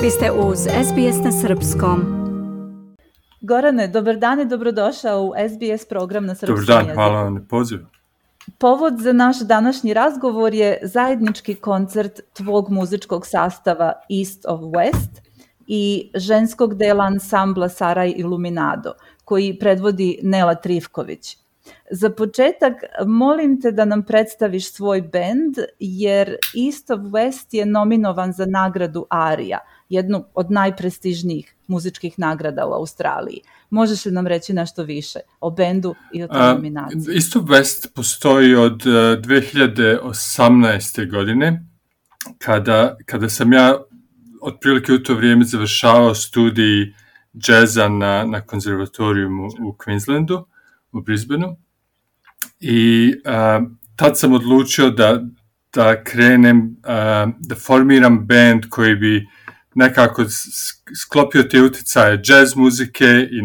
Vi ste uz SBS na Srpskom. Gorane, dobar dan i dobrodošao u SBS program na srpskom jeziku. Dobar dan, hvala vam na pozivu. Povod za naš današnji razgovor je zajednički koncert tvog muzičkog sastava East of West i ženskog dela ansambla Saraj Iluminado, koji predvodi Nela Trifković. Za početak, molim te da nam predstaviš svoj bend, jer East of West je nominovan za nagradu ARIA, jednu od najprestižnijih muzičkih nagrada u Australiji. Možeš li nam reći nešto više o bendu i o toj nominaciji? East of West postoji od 2018. godine, kada sam ja otprilike u to vrijeme završavao studij džeza na konzervatorijumu u Queenslandu, u Brisbaneu. I tad sam odlučio da krenem, da formiram band koji bi nekako sklopio te utjecaje jazz muzike i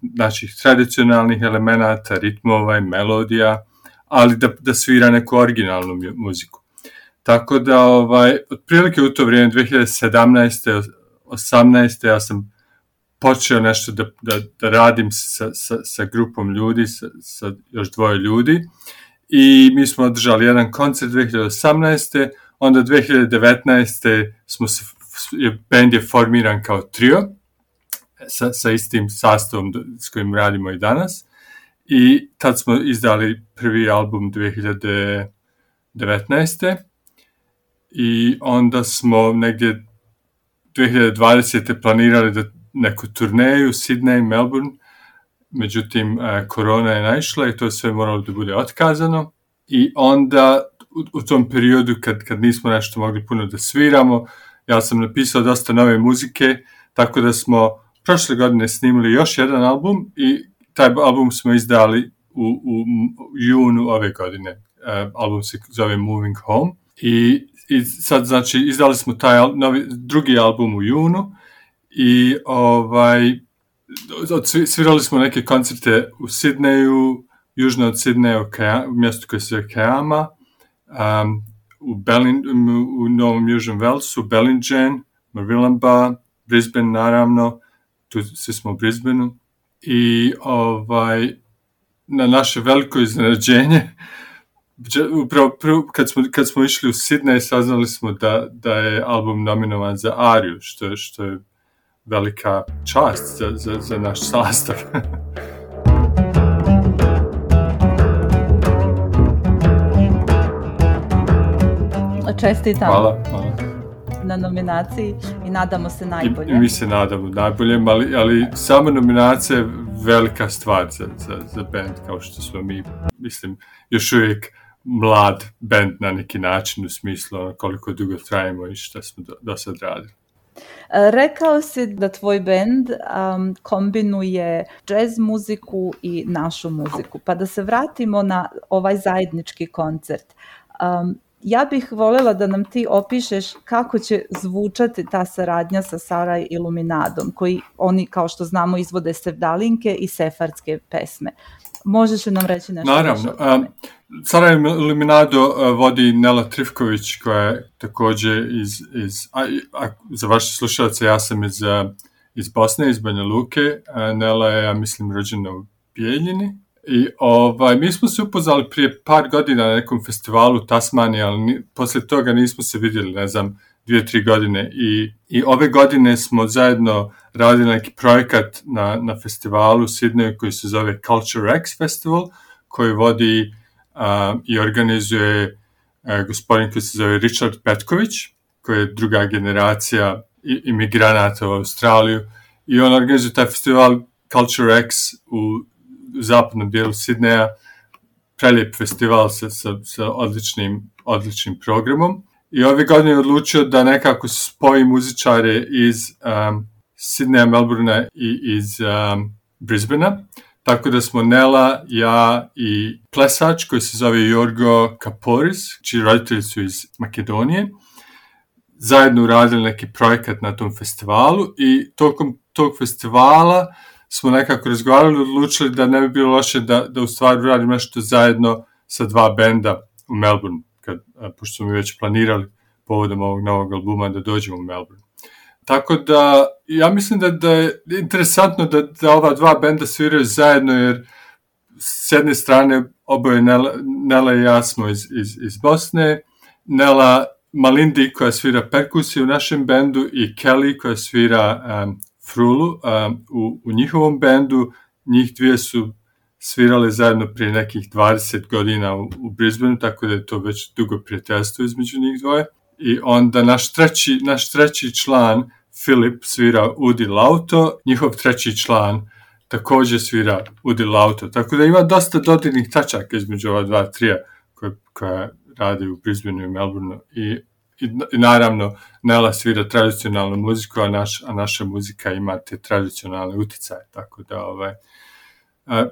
naših tradicionalnih elemenata, ritmova i melodija, ali da svira neku originalnu muziku. Tako da, otprilike u to vrijeme, 2017. 18. ja sam počeo nešto da radim sa grupom ljudi, sa još dvoje ljudi, i mi smo održali jedan koncert 2018. Onda 2019. band je formiran kao trio sa istim sastavom s kojim radimo i danas, i tad smo izdali prvi album 2019. I onda smo negdje 2020. planirali neku turneju, Sydney, Melbourne, međutim korona je naišla i to je sve moralo da bude otkazano. I onda u tom periodu kad nismo nešto mogli puno da sviramo, ja sam napisao dosta nove muzike, tako da smo prošle godine snimili još jedan album i taj album smo izdali u junu ove godine. Album se zove Moving Home i sad, znači, izdali smo taj drugi album u junu i svirali smo neke koncerte u Sidneju, južno od Sidneja, u mjestu koje se zove Keama, u Novom Južnom Velsu, Bellingen, Marillamba, Brisbane naravno, tu svi smo u Brisbaneu. I na naše veliko iznenađenje, upravo kad smo išli u Sidney, saznali smo da je album nominovan za ARIU, što je velika čast za naš sastav. Čestitam. Hvala. Na nominaciji i nadamo se najbolje. I mi se nadamo najboljem, ali sama nominacija je velika stvar za band, kao što smo mi, mislim, još uvijek mlad band na neki način, u smislu koliko dugo trajimo i šta smo do sad radili. Rekao si da tvoj band kombinuje jazz muziku i našu muziku, pa da se vratimo na ovaj zajednički koncert. Ja bih voljela da nam ti opišeš kako će zvučati ta saradnja sa Saraj Iluminadom, koji oni, kao što znamo, izvode sevdalinke i sefardske pesme. Možeš li nam reći nešto? Naravno. Saraj Iluminado vodi Nela Trifković, koja je također za vaše slušalce, ja sam iz Bosne, iz Banja Luke. Nela je, ja mislim, rođena u Bijeljini. I mi smo se upoznali prije par godina na nekom festivalu u Tasmaniji, ali poslije toga nismo se vidjeli, 2-3 godine. I ove godine smo zajedno radili neki projekat na festivalu u Sidneju koji se zove Culture X Festival, koji vodi i organizuje gospodin koji se zove Richard Petković, koji je druga generacija imigranata u Australiju. I on organizuje taj festival Culture X u zapadnom dijelu Sidneja, prelijep festival sa odličnim programom. I ove godine je odlučio da nekako spoji muzičare iz Sidneja, Melbournea i iz Brisbanea. Tako da smo Nela, ja i plesač koji se zove Jorgo Kaporis, čiji roditelji su iz Makedonije, zajedno uradili neki projekat na tom festivalu i tokom tog festivala smo nekako razgovarali i odlučili da ne bi bilo loše da u stvari radimo nešto zajedno sa dva benda u Melbourne, pošto smo mi već planirali povodom ovog novog albuma da dođemo u Melbourne. Tako da, ja mislim da je interesantno da ova dva benda sviraju zajedno, jer s jedne strane oboje Nela i ja smo iz Bosne, Nela Malindi koja svira perkusiju u našem bendu i Kelly koja svira frulu u njihovom bendu. Njih dvije su svirale zajedno prije nekih 20 godina u Brisbaneu, tako da je to već dugo prijateljstvo između njih dvoje. I onda naš treći član, Filip, svira ud i lauto, njihov treći član također svira ud i lauto. Tako da ima dosta dodirnih tačaka između ova dva trija koja radi u Brisbaneu i Melbourneu. I naravno Nela svira tradicionalnu muziku, a naša muzika ima te tradicionalne uticaje. Tako da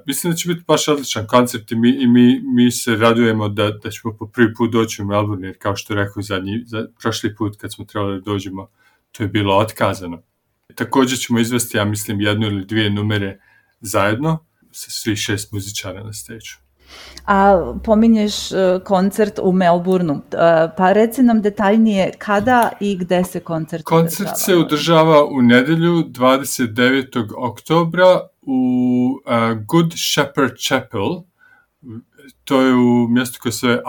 mislim da će biti baš odličan koncert i mi se radujemo da ćemo po prvi put doći u Melbourne, jer kao što rekao prošli put kad smo trebali da dođemo, to je bilo otkazano. Također ćemo izvesti, ja mislim, 1 ili 2 numere zajedno sa svih 6 muzičara na stage-u. A pominješ koncert u Melbourneu, pa reci nam detaljnije kada i gde se koncert održava? Koncert se održava u nedelju 29. oktobra u Good Shepherd Chapel. To je u mjestu koje se zove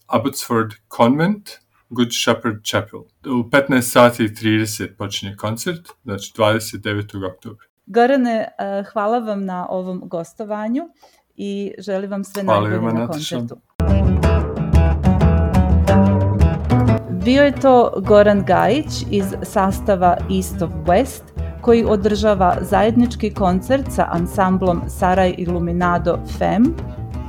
Abbotsford Convent, Good Shepherd Chapel. U 15:30 počinje koncert, znači 29. oktobra. Gorane, hvala vam na ovom gostovanju i želim vam sve najbolje na koncertu. Bio je to Goran Gajić iz sastava East of West, koji održava zajednički koncert sa ansamblom Saraj Iluminado Fem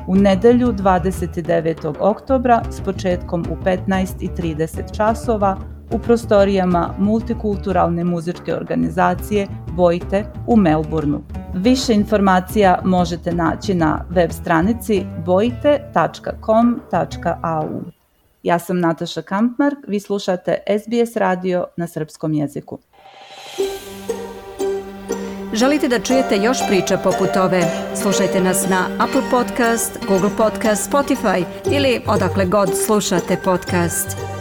u nedelju 29. oktobra s početkom u 15:30 časova u prostorijama multikulturalne muzičke organizacije Bojte u Melbourneu. Više informacija možete naći na web stranici bojte.com.au. Ja sam Nataša Kampmark, vi slušate SBS radio na srpskom jeziku. Želite da čujete još priča poput ove? Slušajte nas na Apple Podcast, Google Podcast, Spotify ili odakle god slušate podcast.